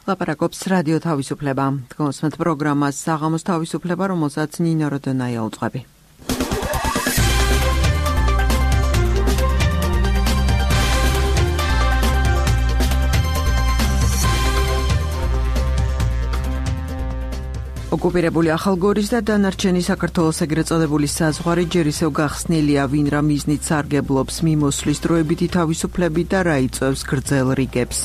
ლაპარაკობს რადიო თავისუფლება. Თქვენს პროგრამას საღამოს თავისუფლება, რომელსაც ნინო როდონაია უძღვები. ოკუპირებული ახალგორის და დანარჩენი საქართველოს ეგრეთ წოდებული საზღვარი ჯერ ისევ გახსნილია, ვინ რა მიზნით სარგებლობს მიმოსვლის დროებითი თავისუფლებით და რა იწვევს გრძელ რიგებს.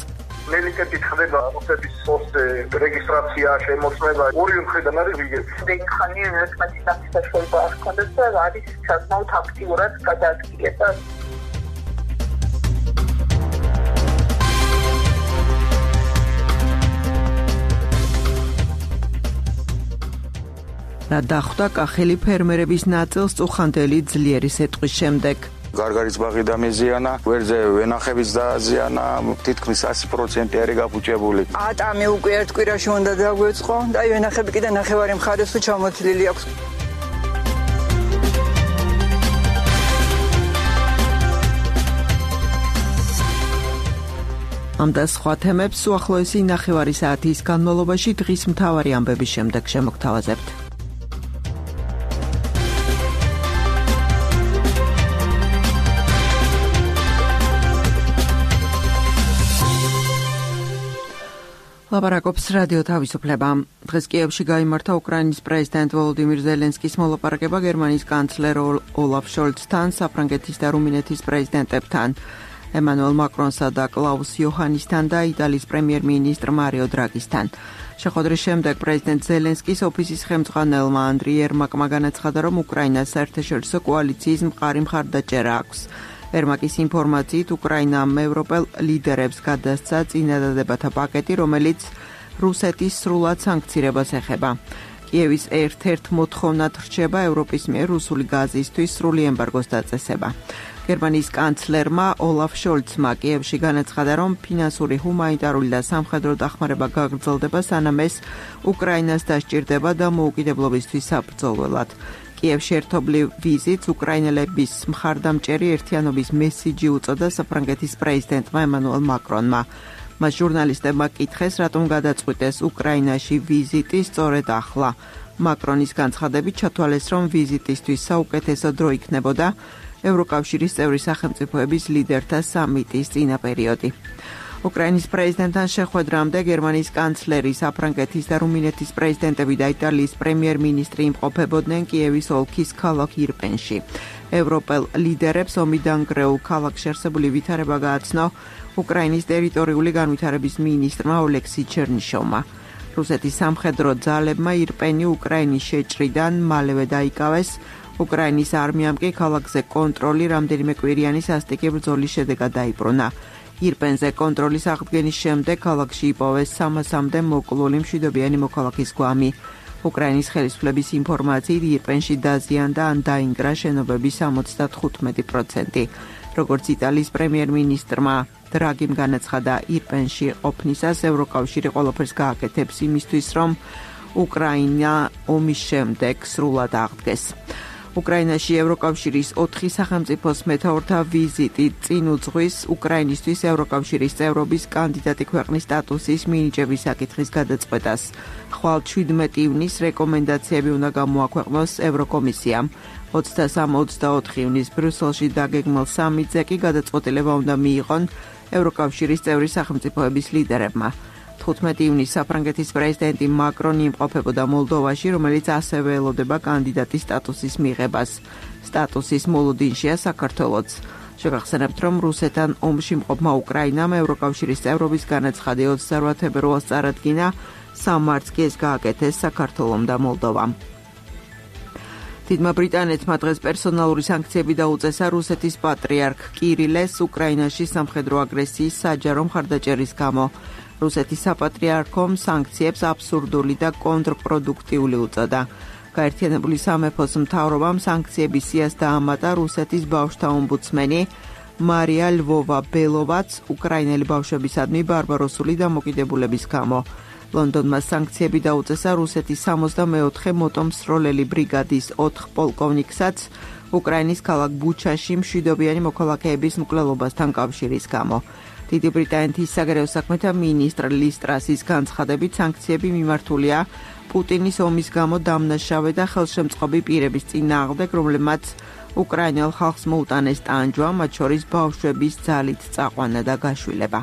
მელიკეთი ხდება რუსეთის პოსტზე რეგისტრაცია, შემოწმება, ორივე მხრიდან არის რიგები. დეიქანი ერთმანეთის საშუალება არ ჰქონდეს და არის საკმაოდ აქტიურად გადაადგილება. რა დახვდა კახელი ფერმერების ნაწილს წუხანდელი ძლიერი სეტყვის შემდეგ. გარგარის ბაღი დამეზიანა, ვერზე ვენახებიც დააზიანა, თითქმის 100% არის გაფუჭებული. ატამი უკვე ერთ კვირაში უნდა დაგვეწყო და ვენახები კიდე ნახევარი მხარეს თუ ჩამოთლილი აქვს. ამ და სხვა თემებს უახლოესი ნახევარი საათის განმავლობაში დღის მთავარი ამბების შემდეგ შემოგთავაზებთ. ლაპარაკობს რადიო თავისუფლება. დღეს კიევში გაიმართა უკრაინის პრეზიდენტ ვოლოდიმირ ზელენსკის მოლაპარაკება გერმანიის კანცლერ ოლაფ შოლცთან, საფრანგეთის და რუმინეთის პრეზიდენტებთან, ემანუელ მაკრონსა და კლაუს იოჰანისთან და იტალიის პრემიერ-მინისტრ მარიო დრაგისთან. შეხვედრის შემდეგ პრეზიდენტ ზელენსკის ოფისის ხელმძღვანელმა ანდრი ერმაკმა განაცხადა, რომ უკრაინას საერთაშორისო კოალიციის მყარი მხარდაჭერა აქვს. ერმაკის ინფორმაციით უკრაინამ ევროპელ ლიდერებს გადასცა წინადადებათა პაკეტი, რომელიც რუსეთის სრულად სანქცირებას ეხება. კიევის ერთ-ერთ მოთხოვნად რჩება ევროპის მიერ რუსული გაზისთვის სრული ემბარგოს დაწესება. გერმანიის კანცლერმა ოლაფ შოლცმა კიევში განაცხადა, რომ ფინანსური, ჰუმანიტარული და სამხედრო დახმარება გაგრძელდება, სანამ ეს უკრაინას დასჭირდება და მოუკიდებლობისთვის საბრძოლველად. კიევში ერთობლივ ვიზიტს უკრაინელების მხარდამჭერი ერთიანობის მესიჯი უწოდა საფრანგეთის პრეზიდენტმა ემანუელ მაკრონმა. მას ჟურნალისტებმა კითხეს, რატომ გადაწყვიტეს უკრაინაში ვიზიტი სწორედ ახლა. მაკრონის განცხადებით ჩათვალეს, რომ ვიზიტისთვის საუკეთესო დრო იქნებოდა ევროკავშირის წევრი სახელმწიფოების ლიდერთა სამიტის წინა პერიოდი. უკრაინის პრეზიდენტთან შეხვედრამდე გერმანიის კანცლერი, საფრანგეთის და რუმინეთის პრეზიდენტები და იტალიის პრემიერ-მინისტრი იმყოფებოდნენ კიევის ოლქის ქალაქ ირპენში. ევროპელ ლიდერებს ომიდან გრეულ ქალაქში არსებული ვითარება გააცნო უკრაინის ტერიტორიული განვითარების მინისტრმა ოლექსი ჩერნიშოვმა. რუსეთის სამხედრო ძალებმა ირპენი უკრაინის შეჭრიდან მალევე დაიკავეს. უკრაინის არმიამ კი ქალაქზე კონტროლი რამდენიმე კვირიანი სასტიკი ბრძოლის შედეგად დაიბრუნა. ირპენზე კონტროლის აღდგენის შემდეგ ქალაქში იპოვეს 300-მდე მოკლული მშვიდობიანი მოქალაქის გვამი. უკრაინის ხელისუფლების ინფორმაციით ირპენში დაზიანდა ან დაინგრა შენობების 75%. როგორც იტალიის პრემიერ-მინისტრმა დრაგიმ განაცხადა, ირპენში ყოფნისას ევროკავშირი ყველაფერს გააკეთებს იმისთვის, რომ უკრაინა ომის შემდეგ სრულად აღდგეს. უკრაინაში ევროკავშირის 4 სახელმწიფოს მეთაურთა ვიზიტი წინ უძღვის უკრაინისთვის ევროკავშირის წევრობის კანდიდატი ქვეყნის სტატუსის მინიჭების საკითხის გადაწყვეტას. ხვალ 17 ივნის რეკომენდაციები უნდა გამოაქვეყნოს ევროკომისიამ. 23-24 ივნის ბრიუსელში დაგეგმილ სამიტზე კი გადაწყვეტილება უნდა მიიღონ ევროკავშირის წევრი სახელმწიფოების ლიდერებმა. 15 ივნის საფრანგეთის პრეზიდენტი მაკრონი იმყოფებოდა მოლდოვაში, რომელიც ასევე ელოდება კანდიდატის სტატუსის მიღებას. სტატუსის მოლოდინშია საქართველოც. შეგახსენებთ, რომ რუსეთთან ომში მყოფმა უკრაინამ ევროკავშირის წევრობის განაცხადი 28 თებერვალს წარადგინა, 3 მარტს კი ეს გააკეთეს საქართველომ და მოლდოვამ. დიდმა ბრიტანეთმა დღეს პერსონალური სანქციები დაუწესა რუსეთის პატრიარქ კირილეს უკრაინაში სამხედრო აგრესიის საჯარო მხარდაჭერის გამო. რუსეთის საპატრიარქომ სანქციებს აბსურდული და კონტრპროდუქტიული უწოდა. გაერთიანებული სამეფოს მთავრობამ სანქციების სიას დაამატა რუსეთის ბავშვთა ომბუდსმენი მარია ლვოვა-ბელოვაც უკრაინელი ბავშვებისადმი ბარბაროსული დამოკიდებულების გამო. ლონდონმა სანქციები დაუწესა რუსეთის 64 მოტომსროლელი ბრიგადის 4 პოლკოვნიკსაც უკრაინის ქალაქ ბუჩაში მშვიდობიანი მოქალაქეების მკვლელობასთან კავშირის გამო. დიდი ბრიტანეთის საგარეო საქმეთა მინისტრ ლის ტრასის განცხადებით სანქციები მიმართულია პუტინის ომის გამო დამნაშავე და ხელშემწყობი პირების წინააღმდეგ, რომლებმაც უკრაინელ ხალხს მოუტანეს ტანჯვა, მათ შორის ბავშვების ძალით წაყვანა და გაშვილება.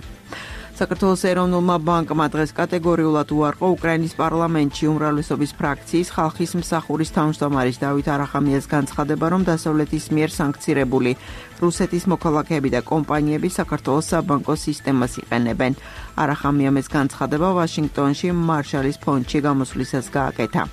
საქართველოს ეროვნულმა ბანკმა დღეს კატეგორიულად უარყო უკრაინის პარლამენტში უმრავლესობის ფრაქციის ხალხის მსახურის თავმჯდომარის დავით არახამიას განცხადება, რომ დასავლეთის მიერ სანქცირებული რუსეთის მოქალაქეები და კომპანიები საქართველოს საბანკო სისტემას იყენებენ. არახამიამ ეს განცხადება ვაშინგტონში მარშალის ფონდში გამოსვლისას გააკეთა.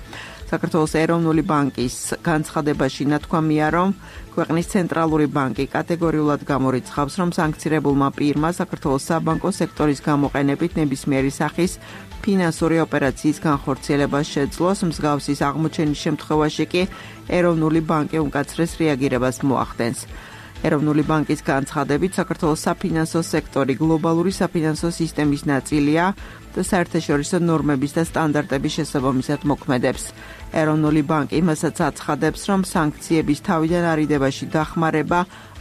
საქართველოს ეროვნული ბანკის განცხადებაში ნათქვამია, რომ ქვეყნის ცენტრალური ბანკი კატეგორიულად გამორიცხავს, რომ სანქცირებულმა პირმა საქართველოს საბანკო სექტორის გამოყენებით ნებისმიერი სახის ფინანსური ოპერაციის განხორციელება შეძლოს, მსგავსის აღმოჩენის შემთხვევაში კი ეროვნული ბანკი უმკაცრეს რეაგირებას მოახდენს. ეროვნული ბანკის განცხადებით საქართველოს საფინანსო სექტორი გლობალური საფინანსო სისტემის ნაწილია და საერთაშორისო ნორმების და სტანდარტების შესაბამისად მოქმედებს. ეროვნული ბანკი იმასაც აცხადებს, რომ სანქციების თავიდან არიდებაში დახმარება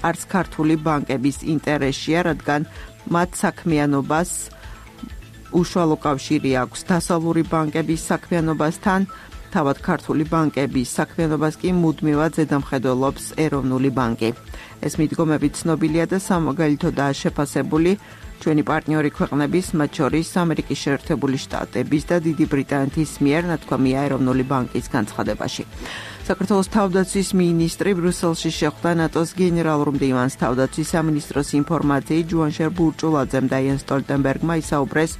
არც ქართული ბანკების ინტერესშია, რადგან მათ საქმიანობას უშუალო კავშირი აქვს დასავლური ბანკების საქმიანობასთან, თავად ქართული ბანკების საქმიანობას კი მუდმივად ზედამხედველობს ეროვნული ბანკი. ეს მიდგომები ცნობილია და სამაგალითოდაა შეფასებული ჩვენი პარტნიორი ქვეყნების, მათ შორის ამერიკის შეერთებული შტატების და დიდი ბრიტანეთის მიერ, ნათქვამია ეროვნული ბანკის განცხადებაში. საქართველოს თავდაცვის მინისტრი ბრიუსელში შეხვდა ნატოს გენერალურ მდივანს. თავდაცვის სამინისტროს ინფორმაციით ჯუანშერ ბურჭულაძემ და იენ სტოლტენბერგმა ისაუბრეს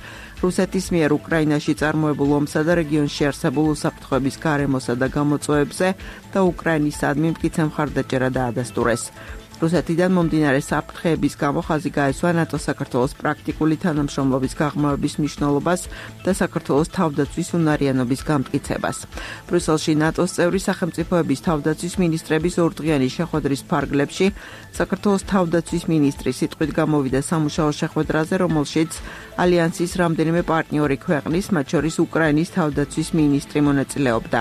რუსეთის მიერ უკრაინაში წარმოებულ ომსა და რეგიონში არსებულ უსაფრთხოების გარემოსა და გამოწვევებზე და უკრაინისადმი მტკიცე მხარდაჭერა დაადასტურეს. რუსეთიდან მომდინარე საფრთხეების გამო ხაზი გაესვა ნატო-საქართველოს პრაქტიკული თანამშრომლობის გაღრმავების მნიშვნელობას და საქართველოს თავდაცვის უნარიანობის გამტკიცებას. ბრიუსელში ნატოს წევრი სახელმწიფოების თავდაცვის მინისტრების ორდღიანი შეხვედრის ფარგლებში საქართველოს თავდაცვის მინისტრი სიტყვით გამოვიდა სამუშაო შეხვედრაზე, რომელშიც ალიანსის რამდენიმე პარტნიორი ქვეყნის, მათ შორის უკრაინის თავდაცვის მინისტრი მონაწილეობდა.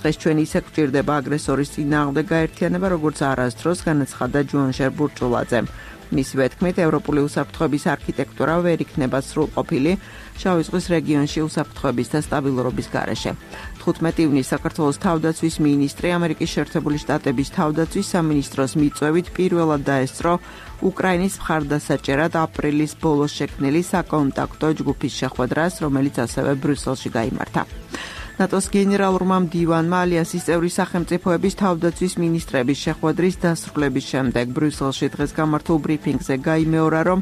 დღეს ჩვენ ისე გვჭირდება აგრესორის წინააღმდეგ გაერთიანება, როგორც არასდროს განაცხადა ჯუანშერ ბურჭულაძემ. მისივე თქმით, ევროპული უსაფრთხოების არქიტექტურა ვერ იქნება სრულყოფილი შავი ზღვის რეგიონში უსაფრთხოების და სტაბილურობის გარეშე. 15 ივნისს საქართველოს თავდაცვის მინისტრი ამერიკის შეერთებული შტატების თავდაცვის სამინისტროს მიწვევით პირველად დაესწრო უკრაინის მხარდასაჭერად აპრილის ბოლოს შექმნილი საკონტაქტო ჯგუფის შეხვედრას, რომელიც ასევე ბრიუსელში გაიმართა. ნატოს გენერალურმა მდივანმა ალიანსის წევრი სახელმწიფოების თავდაცვის მინისტრების შეხვედრის დასრულების შემდეგ ბრიუსელში დღეს გამართულ ბრიფინგზე გაიმეორა, რომ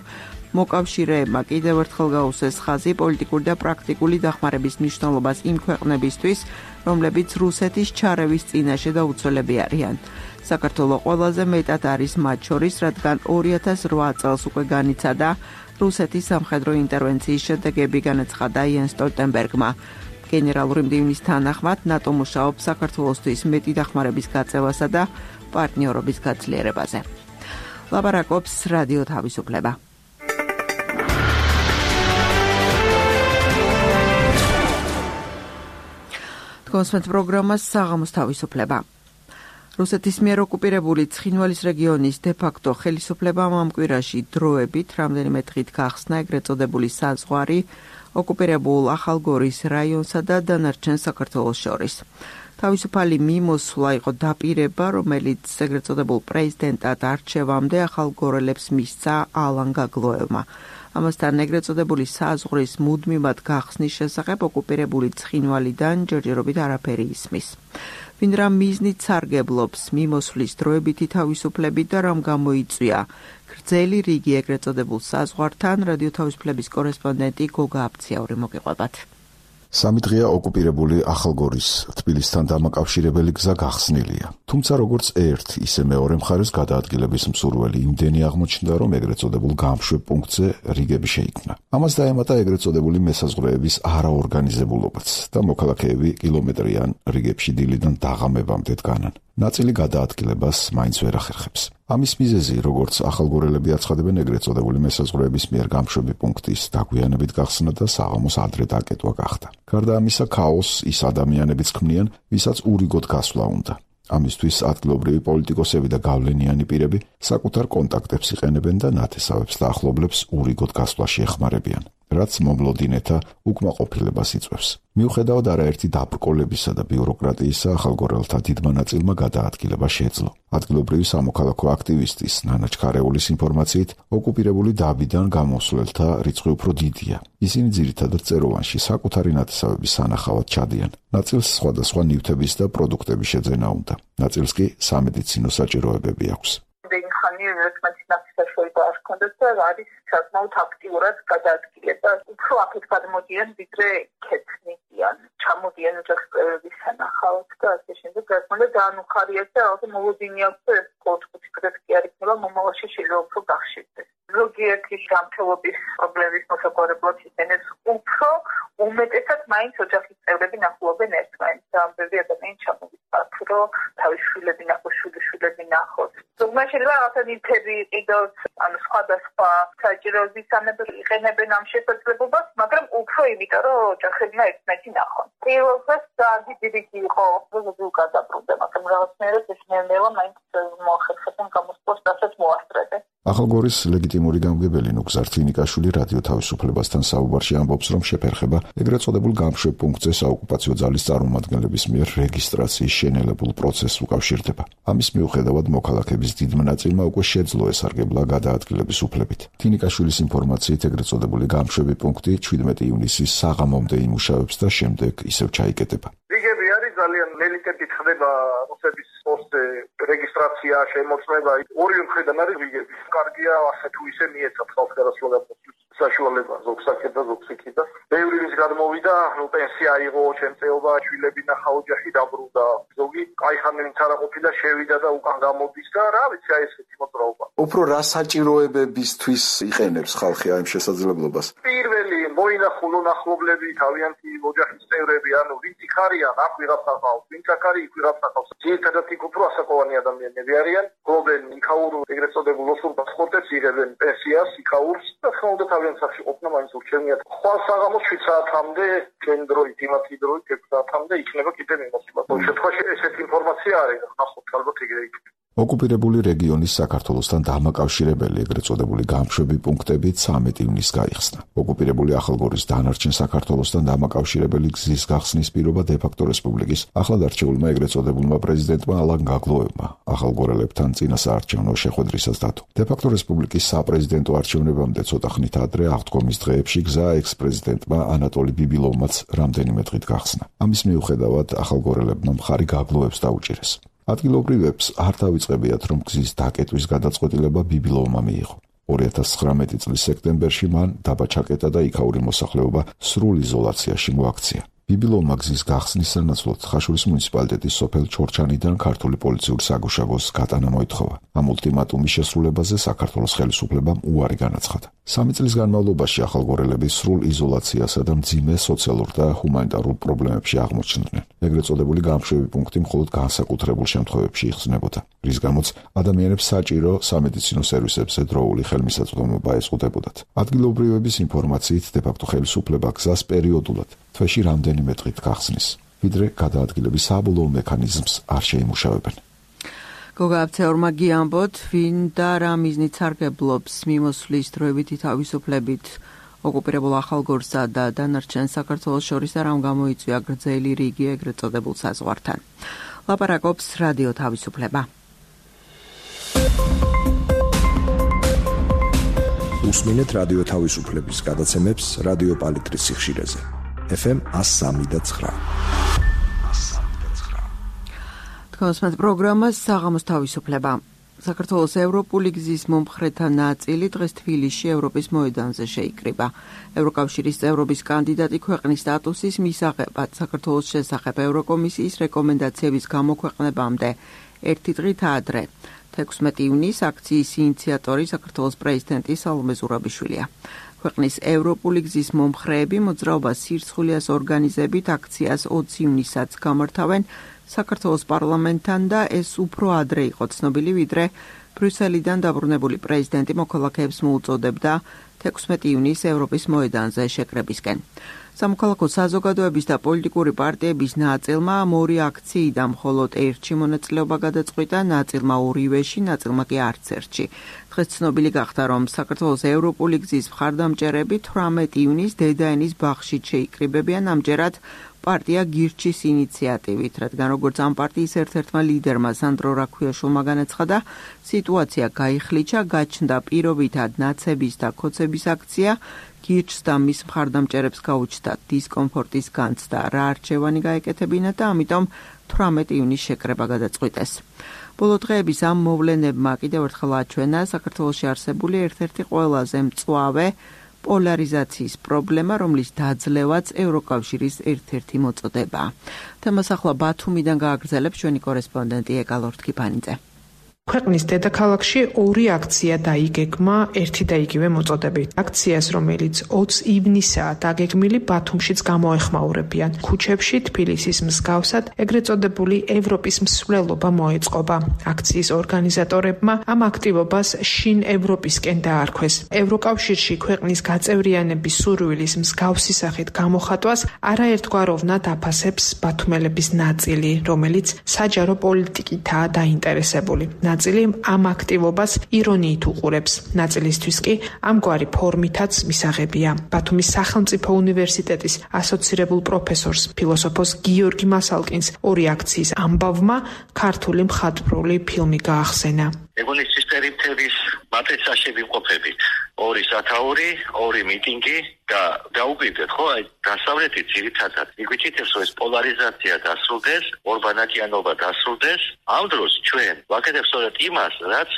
მოკავშირეებმა კიდევ ერთხელ გაუსვეს ხაზი პოლიტიკური და პრაქტიკული დახმარების მნიშვნელობას იმ ქვეყნებისთვის, რომლებიც რუსეთის ჩარევის წინაშე და უცვლელები არიან. საქართველო ყველაზე მეტად არის მათ შორის, რადგან 2008 წელს უკვე განიცადა რუსეთის სამხედრო ინტერვენციის შედეგები, განაცხადა იენ სტოლტენბერგმა. გენერალური მდივნის თანახმად ნატო მუშაობს საქართველოსთვის მეტი დახმარების გაწევასა და პარტნიორობის გაძლიერებაზე. ლაპარაკობს რადიო თავისუფლება. თქვენს პროგრამას საღამოს თავისუფლება. რუსეთის მიერ ოკუპირებული ცხინვალის რეგიონის დე-ფაქტო ხელისუფლებამ ამ კვირაში დროებით რამდენიმე დღით გახსნა ეგრეთ წოდებული საზღვარი ოკუპირებულ ახალგორის რაიონსა და დანარჩენ საქართველოს შორის. თავისუფალი მიმოსვლა იყო დაპირება, რომელიც ეგრეთ წოდებულ პრეზიდენტად არჩევამდე ახალგორელებს მისცა ალან გაგლოევმა. ამასთან ეგრეთ წოდებული საზღვრის მუდმივად გახსნის შესახებ ოკუპირებული ცხინვალიდან ჯერჯერობით არაფერი ისმის. ვინ რა მიზნით სარგებლობს მიმოსვლის დროებითი თავისუფლებით და რამ გამოიწვია გრძელი რიგი ეგრეთ წოდებულ საზღვართან, რადიო თავისუფლების კორესპონდენტი გოგა აფციაური მოგიყვებათ. 3 დღეა ოკუპირებული ახალგორის თბილისთან დამაკავშირებელი გზა გახსნილია. თუმცა როგორც ერთ, ისე მეორე მხარეს გადაადგილების მსურველი იმდენი აღმოჩნდა, რომ ეგრეთ წოდებულ გამშვებ პუნქტზე რიგები შეიქმნა. ამას დაემატა ეგრეთ წოდებული მესაზღვრეების არაორგანიზებულობაც და მოქალაქეები კილომეტრიან რიგებში დილიდან დაღამებამდე დგანან. ნაწილი გადაადგილებას მაინც ვერ ახერხებს. ამის მიზეზი, როგორც ახალგორელები აცხადებენ, ეგრეთ წოდებული მესაზღვრეების მიერ გამშვები პუნქტის დაგვიანებით გახსნა და საღამოს ადრე დაკეტვა გახდა. გარდა ამისა, ქაოსს ის ადამიანებიც ქმნიან, ვისაც ურიგოდ გასვლა უნდა. ამისთვის ადგილობრივი პოლიტიკოსები და გავლენიანი პირები საკუთარ კონტაქტებს იყენებენ და ნათესავებს და ახლობლებს ურიგოდ გასვლაში ეხმარებიან, რაც მომლოდინეთა უკმაყოფილებას იწვევს. მიუხედავად არაერთი დაბრკოლებისა და ბიუროკრატიისა, ახალგორელთა დიდმა ნაწილმა გადაადგილება შეძლო. ადგილობრივი სამოქალაქო აქტივისტის ნანა ჩქარეულის ინფორმაციით, ოკუპირებული დაბიდან გამოსვლელთა რიცხვი უფრო დიდია. ისინი ძირითადად წეროვანში საკუთარი ნათესავების სანახავად ჩადიან. ნაწილს სხვადასხვა ნივთების და პროდუქტების შეძენა უნდა. ნაწილს კი სამედიცინო საჭიროებები აქვს. არ ქონდათ და არის საკმაოდ აქტიურად გადაადგილება. უფრო აქეთ გადმოდიან, ვიდრე ქეთნიდან. ჩამოდიან ოჯახის სანახავად და ასე შემდეგ. გასმოდა დაანუხარიათ და ალბათ მოლოდინი აქვს და ეს 4-5 დღეს კი არ იქნება, მომავალში შეიძლება უფრო გახშირდეს. ზოგიერთი გამთელობის პრობლემის მოსაგვარებლად ისინეს უფრო უმეტესად მაინც ოჯახის წევრები ნახულობენ ერთმანეთს და ამბები ადამიანი ჩამოვიწყათ, რომ თავის შვილები ნახოს, შვილები ნახოს. ზოგმა შეიძლება რაღაცა ნივთები იყიდოს, ანუ სხვადასხვა საჭიროებისამებრ იყენებენ ამ შესაძლებლობას, მაგრამ უფრო იმიტომ, რომ ოჯახებმა ერთმანეთი ნახონ. პირველ დღეს დიდი იყო, ზოგადად გადაბრუნდა, მაგრამ რაღაცნაირად ეს ნელ-ნელა მაინც მოახერხებენ გამოსვლას, რასაც მოასწრებენ. ახალგორის ლეგიტიმური გამგებელი ნუგზარ თვინიკაშვილი რადიო თავისუფლებასთან საუბარში ამბობს, რომ შეფერხება ეგრეთ წოდებულ გამშვებ პუნქტზე საოკუპაციო ძალის წარმომადგენლების მიერ რეგისტრაციის შენელებულ პროცესს უკავშირდება. ამის მიუხედავად მოქალაქეების დიდმა ნაწილმა უკვე შეძლო ესარგებლა გადაადგილების უფლებით. თვინიკაშვილის ინფორმაციით ეგრეთ წოდებული გამშვები პუნქტი 17 ივნისის საღამომდე იმუშავებს და შემდეგ ისევ ჩაიკეტება. რიგები არის ძალიან ნელიკეტით ხდება რუსების პოსტზე რეგისტრაცია, შემოწმება, ორივე მხრიდან არის რიგები. კარგია ასე თუ ისე მიეცათ ხალხს გადასვლადასთვის საშუალება ზოგსაკეთ და ზოგსიქით და ბევრი ის გადმოვიდა, პენსია აიღო, შემწეობა, შვილები ნახა, ოჯახი დაბრუნდა. ზოგი კაიხანი ვინც არა ყოფილა შევიდა და უკან გამოდის და რა ვიცი აი ესეთი მოძრაობა. უფრო რა საჭიროებებისთვის იყენებს ხალხი ამ შესაძლებლობას? პირველი მოინახულონ ახლობლები, თავიანთი ოჯახის წევრები, ანუ ვინც იქ არიან, აქ ვიღაც ახავს, ვინც აქ არის, იქ ვიღაც ახავს. ძირითადად იქ უფრო ასაკოვანი ადამიანები არიან, გლობენ იქაურ ეგრეთ წოდებულ ოსურ პასპორტებს იღებენ პენსიას, იქაურს და ხმაუდა თავიანთ სახში ყოფნა მაინც ურჩევნიათ. ხვალ საღამოს 7 საათამდე ჩვენი დროით, იმათი დროით 6 საათამდე იქნება კიდე მიმოსვლა. ყოველ შემთხვევაში ესეთი ინფორმაცია არის, ნახოთ ალბათ ეგრე იქნება. ოკუპირებული რეგიონის საქართველოსთან დამაკავშირებელი ეგრეთ წოდებული გამშვები პუნქტები 13 ივნისს გაიხსნა. ოკუპირებული ახალგორის დანარჩენ საქართველოსთან დამაკავშირებელი გზის გახსნის პირობა დე-ფაქტო რესპუბლიკის ახლად არჩეულმა ეგრეთ წოდებულმა პრეზიდენტმა ალან გაგლოევმა ახალგორელებთან წინასაარჩევნო შეხვედრისას დადო. დე-ფაქტო რესპუბლიკის საპრეზიდენტო არჩევნებამდე ცოტა ხნით ადრე აღდგომის დღეებში გზა ექს-პრეზიდენტმა ანატოლი ბიბილოვმაც რამდენიმე დღით გახსნა. ამის მიუხედავად ახალგორელებმა მხარი გაგლოევს დაუჭირეს. ადგილობრივებს არ დავიწყებიათ, რომ გზის დაკეტვის გადაწყვეტილება ბიბილოვმა მიიღო. 2019 წლის სექტემბერში მან დაბა ჩაკეტა და იქაური მოსახლეობა სრულ იზოლაციაში მოაქცია. ბიბილოვმა გზის გახსნის სანაცვლოდ ხაშურის მუნიციპალიტეტის სოფელ ჩორჩანიდან ქართული პოლიციური საგუშაგოს გატანა მოითხოვა. ამ ულტიმატუმის შესრულებაზე საქართველოს ხელისუფლებამ უარი განაცხადა. 3 წლის განმავლობაში ახალგორელები სრულ იზოლაციასა და მძიმე სოციალურ და ჰუმანიტარულ პრობლემებში აღმოჩნდნენ. ეგრეთ წოდებული გამშვები პუნქტი მხოლოდ განსაკუთრებულ შემთხვევებში იხსნებოდა, რის გამოც ადამიანებს საჭირო სამედიცინო სერვისებზე დროული ხელმისაწვდომობა ეზღუდებოდათ. ადგილობრივების ინფორმაციით დე-ფაქტო ხელისუფლება გზას პერიოდულად თვეში რამდენიმე დღით გახსნის, ვიდრე გადაადგილების საბოლოო მექანიზმს არ შეიმუშავებენ. გოგააფცეორმა გიამბოთ, ვინ და რა მიზნით სარგებლობს მიმოსვლის დროებითი თავისუფლებით ოკუპირებულ ახალგორსა და დანარჩენ საქართველოს შორის და რამ გამოიწვია გრძელი რიგი ეგრეთ წოდებულ საზღვართან. ლაპარაკობს რადიო თავისუფლება. უსმინეთ რადიო თავისუფლების გადაცემებს რადიო პალიტრის სიხშირეზე. FM 103.9. თქვენს პროგრამას საღამოს თავისუფლება. საქართველოს ევროპული გზის მომხრეთა ნაწილი დღეს თბილისში ევროპის მოედანზე შეიკრიბა. ევროკავშირის წევრობის კანდიდატი ქვეყნის სტატუსის მისაღებად საქართველოს შესახებ ევროკომისიის რეკომენდაციების გამოქვეყნებამდე ერთი დღით ადრე 16 ივნისს აქციის ინიციატორი საქართველოს პრეზიდენტი სალომე ზურაბიშვილია. ქვეყნის ევროპული გზის მომხრეები მოძრაობას სირცხვილიას ორგანიზებით აქციას 20 ივნისსაც გამართავენ საქართველოს პარლამენტთან და ეს უფრო ადრე იყო ცნობილი, ვიდრე ბრიუსელიდან დაბრუნებული პრეზიდენტი მოქალაქეებს მოუწოდებდა 16 ივნისს ევროპის მოედანზე შეკრებისკენ. სამოქალაქო საზოგადოების და პოლიტიკური პარტიების ნაწილმა ორი აქციიდან მხოლოდ ერთში მონაწილეობა გადაწყვიტა, ნაწილმა ორივეში, ნაწილმა კი არც ერთში. დღეს ცნობილი გახდა, რომ საქართველოს ევროპული გზის მხარდამჭერები 18 ივნისს დედაენის ბაღში შეიკრიბებიან, ამჯერად პარტია გირჩის ინიციატივით, რადგან როგორც ამ პარტიის ერთ-ერთმა ლიდერმა სანდრო რაქვიაშვილმა განაცხადა, სიტუაცია გაიხლიჩა, გაჩნდა პირობითად ნაცების და ქოცების აქცია, გირჩს და მის მხარდამჭერებს გაუჩნდათ დისკომფორტის განცდა, რა არჩევანი გაეკეთებინათ და ამიტომ 18 ივნისს შეკრება გადაწყვიტეს. ბოლო დღეების ამ მოვლენებმა კიდევ ერთხელ აჩვენა საქართველოში არსებული ერთ-ერთი ყველაზე მწვავე პოლარიზაციის პრობლემა, რომლის დაძლევაც ევროკავშირის ერთ-ერთი მოწოდებაა. თემას ახლა ბათუმიდან გააგრძელებს ჩვენი კორესპონდენტი ეკალორთ კიფანიძე. ქვეყნის დედაქალაქში ორი აქცია დაიგეგმა ერთი და იგივე მოწოდებით. აქციას, რომელიც 20 ივნისაა დაგეგმილი, ბათუმშიც გამოეხმაურებიან. ქუჩებში თბილისის მსგავსად ეგრეთ წოდებული ევროპის მსვლელობა მოეწყობა. აქციის ორგანიზატორებმა ამ აქტივობას შინ ევროპისკენ დაარქვეს. ევროკავშირში ქვეყნის გაწევრიანების სურვილის მსგავსი სახით გამოხატვას არაერთგვაროვნად აფასებს ბათუმელების ნაწილი, რომელიც საჯარო პოლიტიკითაა დაინტერესებული. ნაწილი ამ აქტივობას ირონიით უყურებს, ნაწილისთვის კი ამგვარი ფორმითაც მისაღებია. ბათუმის სახელმწიფო უნივერსიტეტის ასოცირებულ პროფესორს, ფილოსოფოს გიორგი მასალკინს ორი აქციის ამბავმა ქართული მხატვრული ფილმი გაახსენა. ეგონისთვის პერიფერიის მატრიცაში ვიმყოფებით. ორი სათაური, ორი მიტინგი და დაუკვირდეთ, ხო, აი დასავლეთით ძირითადად იგვითითებს, რომ ეს პოლარიზაცია დასრულდეს, ორბანაკიანობა დასრულდეს. ამ დროს ჩვენ ვაკეთებთ სწორედ იმას, რაც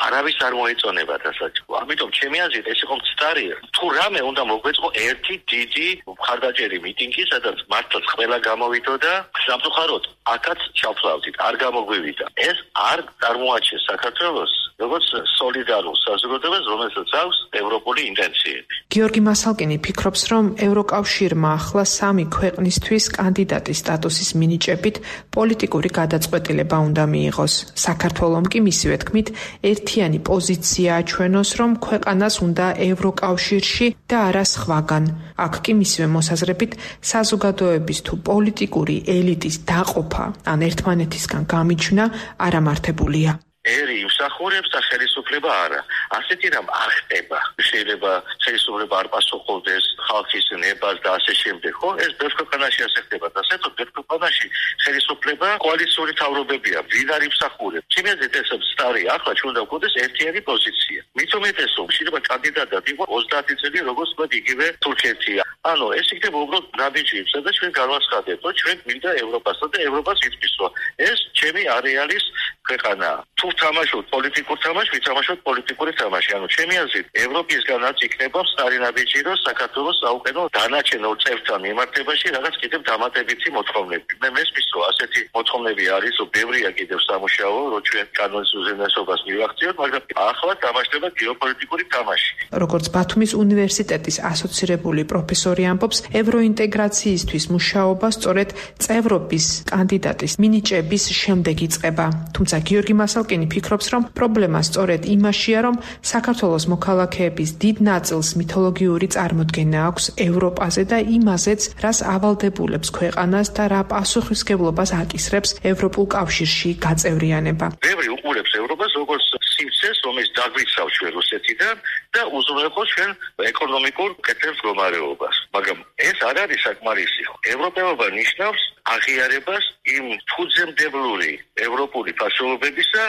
არავის არ მოეწონება დასაწყო. ამიტომ ჩემი აზრით ეს იყო მცდარი. თუ რამე უნდა მოგვეწყო ერთი დიდი მხარდაჭერი მიტინგი, სადაც მართლაც ყველა გამოვიდოდა, სამწუხაროდ აქაც ჩავფლავდით, არ გამოგვივიდა. ეს არ წარმოაჩენს საქართველოს როგორც სოლიდარულ საზოგადოებას, რომელსაც აქვს ევროპული ინტენციები. გიორგი მასალკინი ფიქრობს, რომ ევროკავშირმა ახლა 3 ქვეყნისთვის კანდიდატის სტატუსის მინიჭებით პოლიტიკური გადაწყვეტილება უნდა მიიღოს. საქართველომ კი მისივე თქმით ერთიანი პოზიცია აჩვენოს, რომ ქვეყანას უნდა ევროკავშირში და არა სხვაგან. აქ კი მისივე მოსაზრებით საზოგადოების თუ პოლიტიკური ელიტის დაყოფა ან ერთმანეთისგან გამიჯვნა არამართებულია. ერი იმსახურებს და ხელისუფლება არა. ასეთი რამ არ ხდება. შეიძლება ხელისუფლება არ პასუხობდეს ხალხის ნებას და ასე შემდეგ, ხო? ეს ბევრ ქვეყანაში ასე ხდება და საერთოდ ბევრ ქვეყანაში ხელისუფლება კოალიციური თავრობებია. ვინ არ იმსახურებს? ჩემი ეს სტარი ახლა ჩვენ უნდა გვქონდეს ერთიანი პოზიცია. მით უმეტესო, შეიძლება კანდიდატად იყო 30 წელი, როგორც თქვა იგივე თურქეთია. ანუ ეს იქნება უბრალოდ ნაბიჯი, სადაც ჩვენ განვაცხადებთ, რომ ჩვენ გვინდა ევროპასა და ევროპას იწვის, რომ ეს ჩემი არეალის ქვეყანაა. თუ თამაშობთ პოლიტიკურ თამაშს, ვითამაშოთ პოლიტიკური თამაში. ანუ ჩემი აზრით, ევროპისგანაც იქნება სტარი ნაბიჯი, რომ საქართველოს აუყენო დანარჩენ ორ წევრთან მიმართებაში რაღაც კიდევ დამატებითი მოთხოვნები. მე მესმის, რომ ასეთი მოთხოვნები არის, რომ ბევრია კიდევ სამუშაო, რომ ჩვენ კანონის უზენაესობას მივახციოთ, მაგრამ ახლა თამაშდება გეოპოლიტიკური თამაში. როგორც ბათუმის უნივერსიტეტის ასოცირებული პროფესორი ამბობს, ევროინტეგრაციისთვის მუშაობა სწორედ წევრობის კანდიდატის მინიჭების შემდეგ იწყება. თუმცა გიორგი მასალკინი ფიქრობს, რომ პრობლემა სწორედ იმაშია, რომ საქართველოს მოქალაქეების დიდ ნაწილს მითოლოგიური წარმოდგენა აქვს ევროპაზე და იმაზეც, რას ავალდებულებს ქვეყანას და რა პასუხისმგებლობას აკისრებს ევროპულ კავშირში გაწევრიანება. ბევრი უყურებს ევროპას როგორც სიმცეს, რომელიც დაგვიცავს ჩვენ რუსეთიდან და უზრუნველყოფს ჩვენ ეკონომიკურ კეთილ მდგომარეობას. მაგრამ ეს არ არის საკმარისი. ევროპელობა ნიშნავს აღიარებას იმ ფუძემდებლური ევროპული ფასეულობებისა,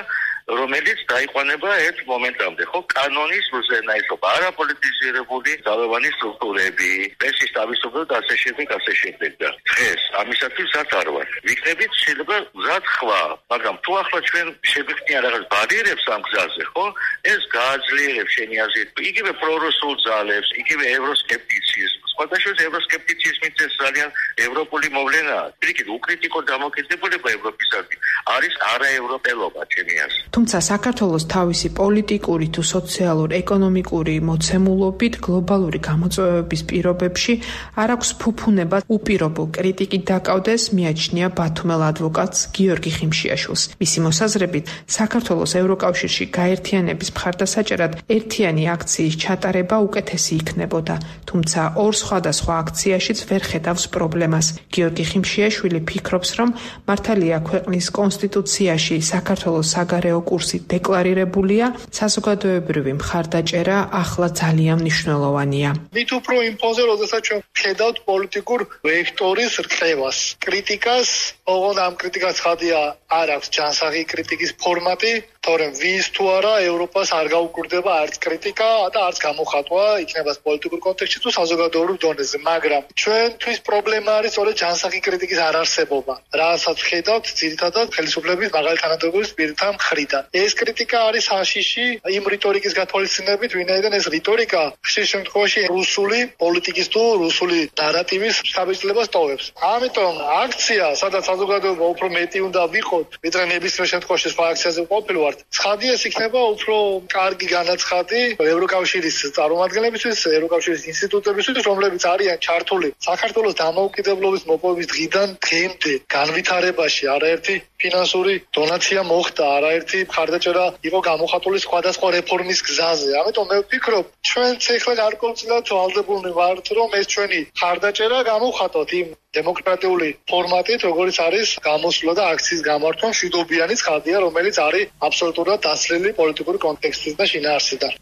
რომელიც დაიყვანება ერთ მომენტამდე, ხო, კანონის უზენაესობა, არაპოლიტიზირებული ძალოვანი სტრუქტურები, პრესის თავისუფლება და ასე შემდეგ, ასე შემდეგ. და დღეს ამისათვის მზად არ ვარ. ვიქნებით შეიძლება მზად ხვა, მაგრამ თუ ახლა ჩვენ შევიხდნია რაღაც ბარიერებს ამ გზაზე, ხო, ეს გააძლიერებს შენი აზრით იგივე პრორუსულ ძალებს, იგივე ევროსკეპტიციზმს, ხოდაშორის ევროსკეპტიციზმით ეს ძალიან ევროპული მოვლენაა. პირიქით, უკრიტიკო დამოკიდებულება ევროპისადმი არის არაევროპელობა ჩემი აზრით. თუმცა საქართველოს თავისი პოლიტიკური თუ სოციალურ-ეკონომიკური მოცემულობით გლობალური გამოწვევების პირობებში არ აქვს ფუფუნება უპირობო კრიტიკით დაკავდეს, მიაჩნია ბათუმელ ადვოკატს გიორგი ხიმშიაშვილს. მისი მოსაზრებით, საქართველოს ევროკავშირში გაერთიანების მხარდასაჭერად ერთიანი აქციის ჩატარება უკეთესი იქნებოდა, თუმცა ორ სხვადასხვა აქციაშიც ვერ ხედავს პრობლემას. გიორგი ხიმშიაშვილი ფიქრობს, რომ მართალია ქვეყნის კონსტიტუციაში საქართველოს საგარეო კურსი დეკლარირებულია, საზოგადოებრივი მხარდაჭერა ახლა ძალიან მნიშვნელოვანია. მით უფრო იმ ფონზე, როდესაც ჩვენ ხედავთ პოლიტიკურ ვექტორის რყევას, კრიტიკას, ოღონდ ამ კრიტიკას ხადია არ აქვს ჯანსაღი კრიტიკის ფორმატი, თორემ ვის თუ არა ევროპას არ გაუკვირდება არც კრიტიკა და არც გამოხატვა, იქნება პოლიტიკურ კონტექსტში თუ საზოგადოებრივ დონეზე, მაგრამ ჩვენთვის პრობლემა არის სწორედ ჯანსაღი კრიტიკის არარსებობა, რასაც ხედავთ ძირითადად ხელისუფლების მაღალი თანამდებობის პირთა მხრიდან. ეს კრიტიკა არის აშიში იმ რიტორიკის გათვალისწინებით, ვინაიდან ეს რიტორიკა ხშირ შემთხვევაში რუსული პოლიტიკის თუ რუსული ნარატივის შთაბეჭდილებას ტოვებს. ამიტომ აქცია, სადაც საზოგადოება უფრო მეტი უნდა ვიყოთ, ვიდრე ნებისმიერ შემთხვევაში სხვა აქციაზე ყოფილვართ. ცხადია, ეს იქნება უფრო კარგი განაცხადი ევროკავშირის წარმომადგენლებისთვის, ევროკავშირის ინსტიტუტებისთვის, რომლებიც არიან ჩართული საქართველოს დამოუკიდებლობის მოპოვების დღიდან დღემდე განვითარებაში. არაერთი ფინანსური დონაცია მოხდა, არაერთი მხარდაჭერა იყო გამოხატული სხვადასხვა რეფორმის გზაზე. ამიტომ მე ვფიქრობ, ჩვენც ეხლა გარკვეულწილად ვალდებულნი ვართ, რომ ეს ჩვენი მხარდაჭერა გამოვხატოთ იმ დემოკრატიული ფორმატით, როგორც არის გამოსვლა და აქციის გამართვა მშვიდობიანი ცხადია, რომელიც არის აბსოლუტურად დაცლილი პოლიტიკური კონტექსტის და შინაარსიდან.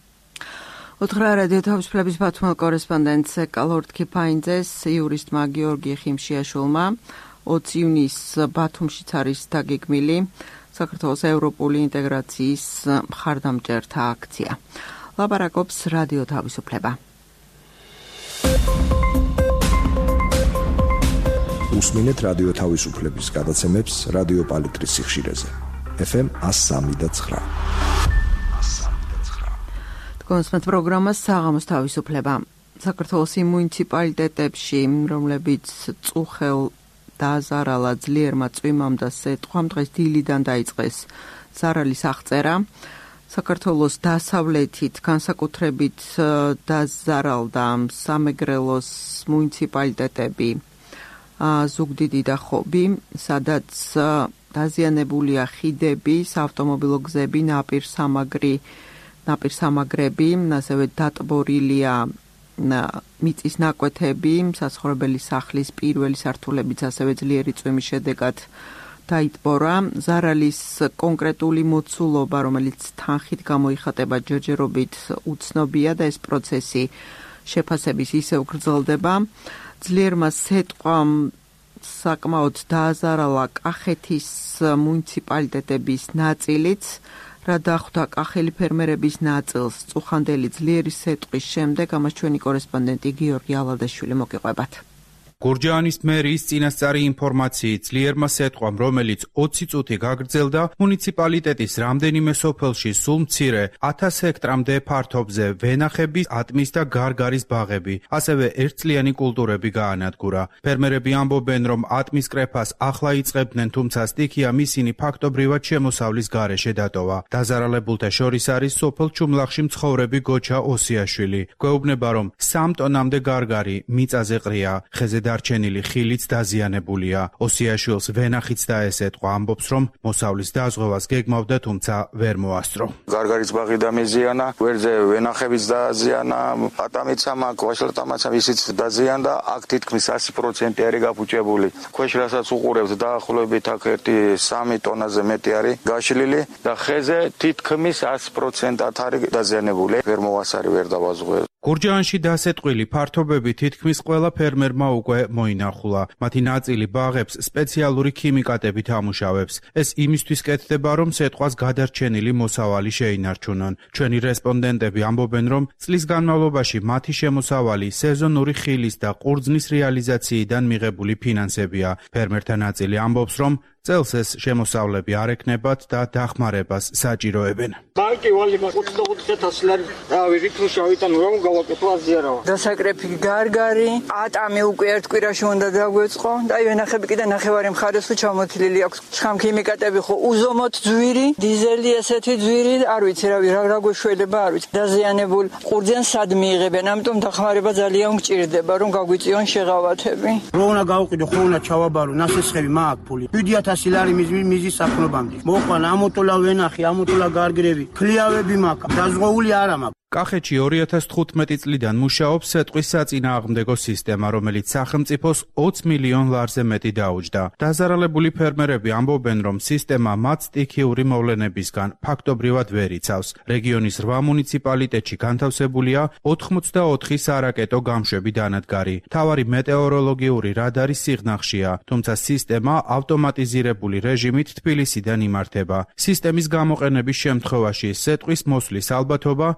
უთხრა რადიო თავისუფლების ბათუმელ კორესპონდენტს კალორდ ქიფაინძეს იურისტმა გიორგი ხიმშიაშვილმა 20 ივნისს ბათუმშიც არის დაგეგმილი საქართველოს ევროპული ინტეგრაციის მხარდამჭერთა აქცია. ლაპარაკობს რადიო თავისუფლება. უსმინეთ რადიო თავისუფლების გადაცემებს რადიო პალიტრის სიხშირეზე. FM 103.9. კონსმეთ პროგრამა საღამოს თავისუფლება. საქართველოს მუნიციპალიტეტებში, რომლებიც წუხელ დაზარალა ძლიერმა წვიმამ და სეტყვამ დღეს დილიდან დაიწყეს ზარალის აღწერა. საქართველოს დასავლეთით განსაკუთრებით დაზარალდა სამეგრელოს მუნიციპალიტეტები, ზუგდიდი და ხობი, სადაც დაზიანებულია ხიდები, საავტომობილო გზები, ნაპირსამაგრები, ასევე დატბორილია მიწის ნაკვეთები, საცხოვრებელი სახლის პირველი სართულებიც ასევე ძლიერი წვიმის შედეგად დაიტბორა. ზარალის კონკრეტული მოცულობა, რომელიც თანხით გამოიხატება ჯერჯერობით უცნობია და ეს პროცესი შეფასების ისევ გრძელდება. ძლიერმა სეტყვამ საკმაოდ დააზარალა კახეთის მუნიციპალიტეტების ნაწილიც, რა დახვდა კახელი ფერმერების ნაწილს წუხანდელი ძლიერი სეტყვის შემდეგ, ამას ჩვენი კორესპონდენტი გიორგი ალადაშვილი მოგიყვებათ. გურჯაანის მერის წინასწარი ინფორმაციით ძლიერმა სეტყვამ, რომელიც 20 წუთი გაგრძელდა, მუნიციპალიტეტის რამდენიმე სოფელში სულ მცირე 1000 ჰექტრამდე ფართობზე ვენახების, ატმის და გარგარის ბაღები, ასევე ერთწლიანი კულტურები გაანადგურა. ფერმერები ამბობენ, რომ ატმის კრეფას ახლა იწყებდნენ, თუმცა სტიქია ისინი ფაქტობრივად შემოსავლის გარეშე დატოვა. დაზარალებულთა შორის არის სოფელ ჩუმლახში მცხოვრები გოჩა ოსიაშვილი. გვეუბნება, რომ 3 ტონამდე გარგარი მიწაზე ყრია, ხეზე დარჩენილი ხილიც დაზიანებულია. ოსიაშვილს ვენახიც დაესეტყვა, ამბობს, რომ მოსავლის დაზღვევას გეგმავდა, თუმცა ვერ მოასწრო. გარგარის ბაღი დამეზიანა, გვერდზე ვენახებიც დააზიანა, ატამიცამ, ვაშლატამაც ისიც დაზიანდა, აქ თითქმის 100% არის გაფუჭებული. ქვეშ რასაც უყურებთ დაახლოებით აქ 3 ტონაზე მეტი არის გაშლილი და ხეზე თითქმის 100%-ად არის დაზიანებული. ვერ მოასარი, ვერ დავაზღვე. გურჯაანში დასეტყვილი ფართობები თითქმის ყველა ფერმერმა უკვე მოინახულა. მათი ნაწილი ბაღებს სპეციალური ქიმიკატებით ამუშავებს. ეს იმისთვის კეთდება, რომ სეტყვას გადარჩენილი მოსავალი შეინარჩუნონ. ჩვენი რესპონდენტები ამბობენ, რომ წლის განმავლობაში მათი შემოსავალი სეზონური ხილის და ყურძნის რეალიზაციიდან მიღებული ფინანსებია. ფერმერთა ნაწილი ამბობს, რომ წელს ეს შემოსავლები არ ექნებათ და დახმარებას საჭიროებენ. ბანკი ვალიმა 25,000 ლარი დავიღეთ თუ შავიდან რომ გავაკეთო აზიარავა. დასაკრეფი გარგარი, ატამი უკვე ერთ კვირაში უნდა დაგვეწყო და ვენახები კიდე ნახევარი მხარეს თუ ჩამოთლილი აქვს. შხამქიმიკატები ხო უზომოდ ძვირი, დიზელი ესეთი ძვირი, არ ვიცი რა გვეშველება, არ ვიცი. დაზიანებულ ყურძენს სად მიიღებენ, ამიტომ დახმარება ძალიან გჭირდება, რომ გაგვიწიონ შეღავათები. რო უნდა გავყიდო, ხო უნდა ჩავაბარო, ნასესხები მაქვს ფული. 7,000 ლარი მიზის საფრობამდე. მოყვან ამოტოლა ვენახი, ამოტოლა გარგრები, ქლიავები მაქვს, დაზღვეული არა მაქვს. კახეთში 2015 წლიდან მუშაობს სეტყვის საწინააღმდეგო სისტემა, რომელიც სახელმწიფოს 20 მილიონ ლარზე მეტი დაუჯდა. დაზარალებული ფერმერები ამბობენ, რომ სისტემა მათ სტიქიური მოვლენებისგან ფაქტობრივად ვერ იცავს. რეგიონის 8 მუნიციპალიტეტში განთავსებულია 84 სარაკეტო გამშვები დანადგარი. მთავარი მეტეოროლოგიური რადარი სიღნაღშია, თუმცა სისტემა ავტომატიზირებული რეჟიმით თბილისიდან იმართება. სისტემის გამოყენების შემთხვევაში სეტყვის მოსვლის ალბათობა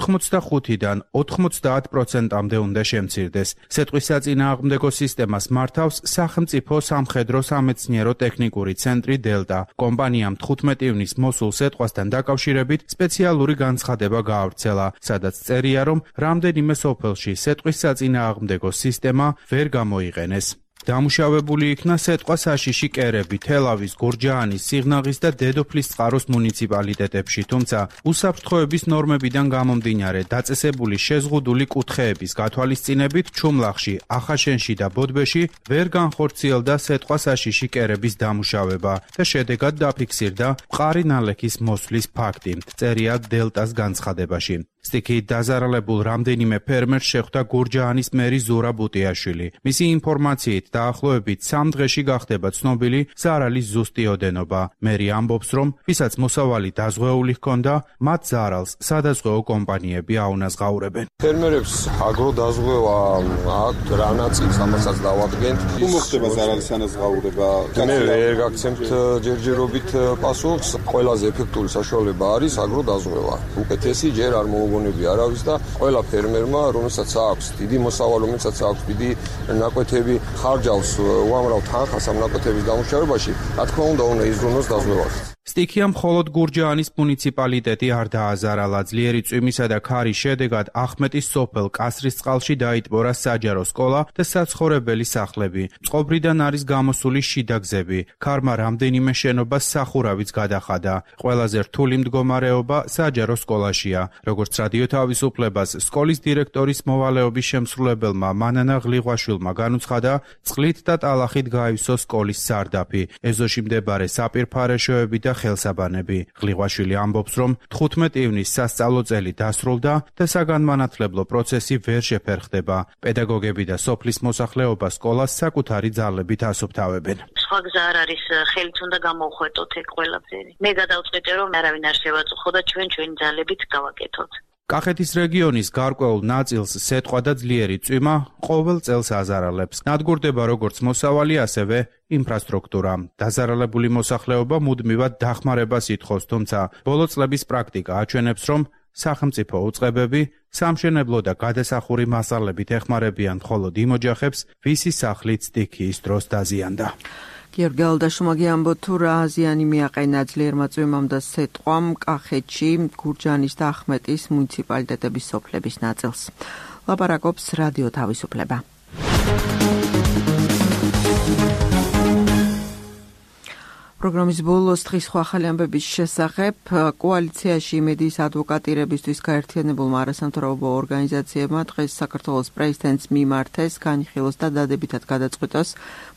85-დან 90%-მდე უნდა შემცირდეს. სეტყვის საწინააღმდეგო სისტემას მართავს სახელმწიფო სამხედრო სამეცნიერო ტექნიკური ცენტრი დელტა. კომპანიამ 15 ივნის მოსულ სეტყვასთან დაკავშირებით სპეციალური განცხადება გაავრცელა, სადაც წერია, რომ რამდენიმე სოფელში სეტყვის საწინააღმდეგო სისტემა ვერ გამოიყენეს. დამუშავებული იქნა სეტყვა საშიში კერები თელავის, გურჯაანის, სიღნაღის და დედოფლის წყაროს მუნიციპალიტეტებში, თუმცა უსაფრთხოების ნორმებიდან გამომდინარე დაწესებული შეზღუდული კუთხეების გათვალისწინებით ჩუმლახში, ახაშენში და ბოდბეში ვერ განხორციელდა სეტყვა საშიში კერების დამუშავება და შედეგად დაფიქსირდა მყარი ნალექის მოსვლის ფაქტი, წერია დელტას განცხადებაში. სტიქიით დაზარალებულ რამდენიმე ფერმერს შეხვდა გურჯაანის მერი ზურა ბუტიაშვილი. მისი ინფორმაციით დაახლოებით 3 დღეში გახდება ცნობილი ზარალის ზუსტი ოდენობა. მერი ამბობს, რომ ვისაც მოსავალი დაზღვეული ჰქონდა, მათ ზარალს სადაზღვეო კომპანიები აუნაზღაურებენ. ფერმერებს აგროდაზღვევა აქვთ რა ნაწილს ამასაც დავადგენთ. თუ მოხდება ზარალის ანაზღაურება, მე ვერ გაგცემთ ჯერჯერობით პასუხს. ყველაზე ეფექტური საშუალება არის აგროდაზღვევა. უკეთესი ჯერ არ მოგონები არავის და ყველა ფერმერმა, რომელსაც აქვს დიდი მოსავალი, რომელსაც აქვს დიდი ნაკვეთები, ხარჯავს უამრავ თანხას ამ ნაკვეთების დამუშავებაში, რა თქმა უნდა იზრუნოს დაზღვევას. სტიქიამ მხოლოდ გურჯაანის მუნიციპალიტეტი არ დააზარალა. ძლიერი წვიმისა და ქარის შედეგად ახმეტის სოფელ კასრისწყალში დაიტბორა საჯარო სკოლა და საცხოვრებელი სახლები. წყობრიდან არის გამოსული შიდა გზები. ქარმა რამდენიმე შენობას სახურავიც გადახადა. ყველაზე რთული მდგომარეობა საჯარო სკოლაშია. როგორც რადიო თავისუფლებას სკოლის დირექტორის მოვალეობის შემსრულებელმა მანანა ღლიღვაშვილმა განუცხადა, წყლით და ტალახით გაივსო სკოლის სარდაფი. ეზოში მდებარე საპირფარეშოები და ხელსაბანები. ღლიღვაშვილი ამბობს, რომ 15 ივნის სასწავლო წელი დასრულდა და საგანმანათლებლო პროცესი ვერ შეფერხდება. პედაგოგები და სოფლის მოსახლეობა სკოლას საკუთარი ძალებით ასუფთავებენ. სხვა გზა არ არის, ხელით უნდა გამოვხვეტოთ ეგ ყველაფერი. მე გადავწყვიტე, რომ არავინ არ შევაწუხო და ჩვენი ძალებით გავაკეთოთ. კახეთის რეგიონის გარკვეულ ნაწილს სეტყვა და ძლიერი წვიმა ყოველ წელს აზარალებს. ნადგურდება როგორც მოსავალი, ასევე ინფრასტრუქტურა. დაზარალებული მოსახლეობა მუდმივად დახმარებას ითხოვს, თუმცა ბოლო წლების პრაქტიკა აჩვენებს, რომ სახელმწიფო უწყებები სამშენებლო და გადასახური მასალებით ეხმარებიან მხოლოდ იმ ოჯახებს, ვისი სახლით სტიქიის დროს დაზიანდა. გიორგი ალდაშუმა გიამბობთ, თუ რა ზიანი მიაყენა ძლიერმა წვიმამ და სეტყვამ კახეთში, გურჯაანის და ახმეტის მუნიციპალიტეტების სოფლების ნაწილს. ლაპარაკობს რადიო თავისუფლება. პროგრამის ბოლოს დღის სხვა ახალი ამბების შესახებ კოალიციაში იმედის ადვოკატირებისთვის გაერთიანებულმა არასამთავრობო ორგანიზაციებმა დღეს საქართველოს პრეზიდენტს მიმართეს განიხილოს და დადებითად გადაწყვიტოს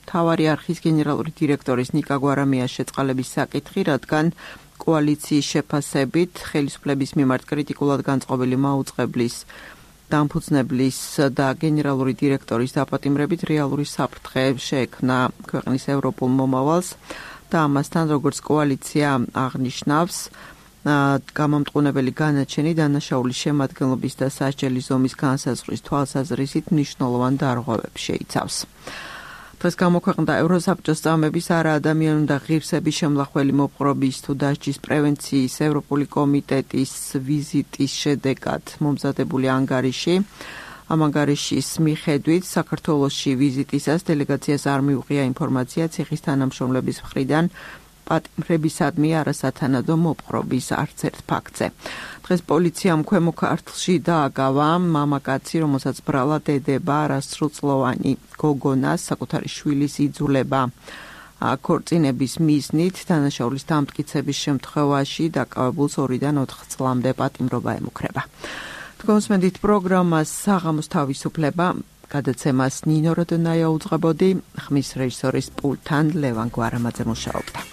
მთავარი არხის გენერალური დირექტორის ნიკა გვარამიას შეწყალების საკითხი, რადგან კოალიციის შეფასებით ხელისუფლების მიმართ კრიტიკულად განწყობილი მაუწყებლის დამფუძნებლის და გენერალური დირექტორის დაპატიმრებით რეალური საფრთხე შეექმნა ქვეყნის ევროპულ მომავალს. და ამასთან როგორც კოალიცია აღნიშნავს, გამამტყუნებელი განაჩენი დანაშაულის შემადგენლობის და სასჯელი ზომის განსაზღვრის თვალსაზრისით მნიშვნელოვან დარღვევებს შეიცავს. დღეს გამოქვეყნდა ევროსაბჭოს წამების არაადამიანი და ღირსების შემლახველი მოპყრობის თუ დასჯის პრევენციის ევროპული კომიტეტის ვიზიტის შედეგად მომზადებული ანგარიში. ამანგარიშის მიხედვით საქართველოში ვიზიტისას დელეგაციას არ მიუღია ინფორმაცია ციხის თანამშრომლების მხრიდან პატიმრებისადმი არასათანადო მოპყრობის არც ერთ ფაქტზე. დღეს პოლიციამ ქვემო ქართლში დააგავა მამაკაცი, რომელსაც ბრალა დედება არასრულწლოვანი გოგონას საკუთარი შვილის იძულება. ქორწინების მიზნით დანაშაულის დამტკიცების შემთხვევაში დაკავებულს 2-დან 4 წლამდე პატიმრობა ემუქრება. თქვენსმენდით პროგრამას საღამოს თავისუფლება გადაცემას ნინო როდონაია უძღვებოდი, ხმის რეჟისორის პულტთან ლევან გვარამაძე მუშაობდა.